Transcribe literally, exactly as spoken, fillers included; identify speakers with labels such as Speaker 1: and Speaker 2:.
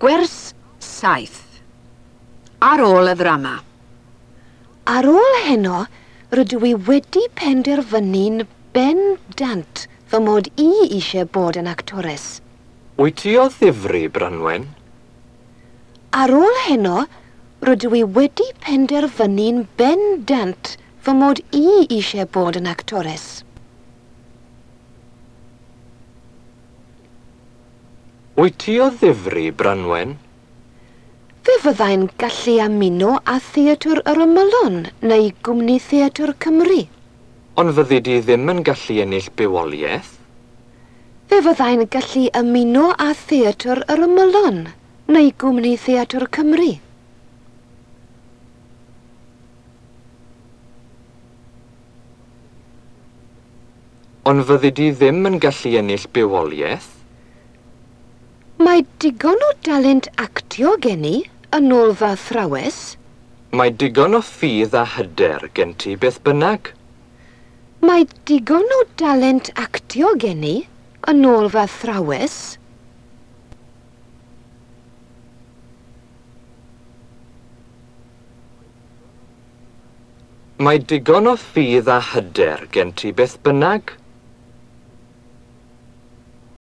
Speaker 1: Gwers saith. Ar ôl y ddrama.
Speaker 2: Ar ôl heno, rydw i wedi penderfynu'n bendant fy mod i eisiau bod yn actores.
Speaker 3: Wyt ti o ddifri, Branwen?
Speaker 2: Ar ôl heno, rydw i wedi penderfynu'n bendant fy mod i eisiau bod yn actores.
Speaker 3: Wyt ti o ddifri, Branwen?
Speaker 2: Fe fyddai'n gallu ymuno â Theatr yr Ymylon neu Gwmni Theatr Cymru.
Speaker 3: Ond fyddi di ddim yn gallu ennill bywoliaeth?
Speaker 2: Fe fyddai'n gallu ymuno â Theatr yr Ymylon neu Gwmni Theatr Cymru.
Speaker 3: Ond fyddi di ddim yn gallu ennill bywoliaeth?
Speaker 2: Mae digon o dalent actio gen i, yn ôl fy athrawes.
Speaker 3: Mae digon o ffydd a hyder gen ti beth bynnag.
Speaker 2: Mae digon o dalent actio gen i, yn ôl fy athrawes.
Speaker 3: Mae digon o ffydd a hyder gen ti beth bynnag.